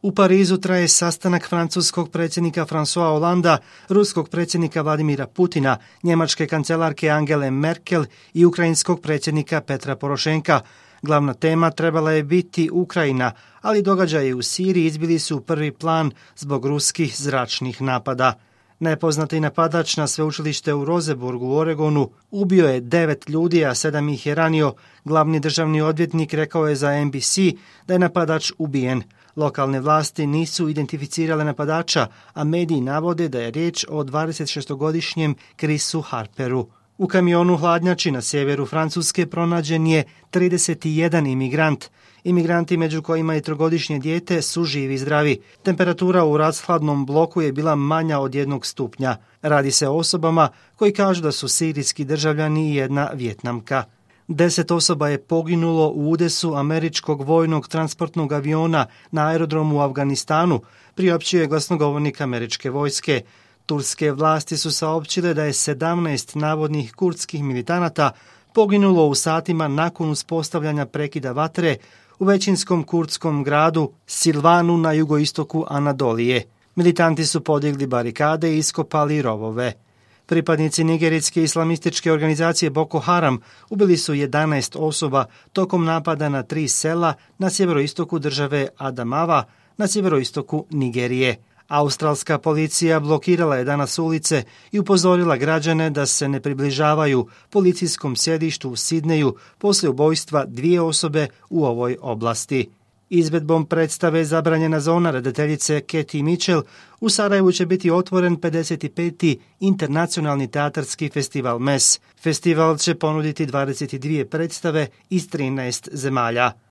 U Parizu traje sastanak francuskog predsjednika François Hollanda, ruskog predsjednika Vladimira Putina, njemačke kancelarke Angele Merkel i ukrajinskog predsjednika Petra Porošenka. Glavna tema trebala je biti Ukrajina, ali događaji u Siriji izbili su u prvi plan zbog ruskih zračnih napada. Nepoznati napadač na sveučilište u Roseburgu u Oregonu ubio je 9 ljudi, a 7 ih je ranio. Glavni državni odvjetnik rekao je za NBC da je napadač ubijen. Lokalne vlasti nisu identificirale napadača, a mediji navode da je riječ o 26-godišnjem Chrisu Harperu. U kamionu hladnjači na sjeveru Francuske pronađen je 31 imigrant. Imigranti, među kojima i 3-godišnje dijete, su živi i zdravi. Temperatura u rashladnom bloku je bila manja od 1 stupnja. Radi se o osobama koji kažu da su sirijski državljani i jedna Vijetnamka. 10 osoba je poginulo u udesu američkog vojnog transportnog aviona na aerodromu u Afganistanu, priopćio je glasnogovornik američke vojske. Turske vlasti su saopćile da je 17 navodnih kurdskih militanata poginulo u satima nakon uspostavljanja prekida vatre u većinskom kurdskom gradu Silvanu na jugoistoku Anadolije. Militanti su podigli barikade i iskopali rovove. Pripadnici nigerijske islamističke organizacije Boko Haram ubili su 11 osoba tokom napada na 3 sela na sjeveroistoku države Adamawa na sjeveroistoku Nigerije. Australska policija blokirala je danas ulice i upozorila građane da se ne približavaju policijskom sjedištu u Sidneju poslije ubojstva 2 osobe u ovoj oblasti. Izvedbom predstave Zabranjena zona redateljice Katie Mitchell u Sarajevu će biti otvoren 55. internacionalni teatarski festival MES. Festival će ponuditi 22 predstave iz 13 zemalja.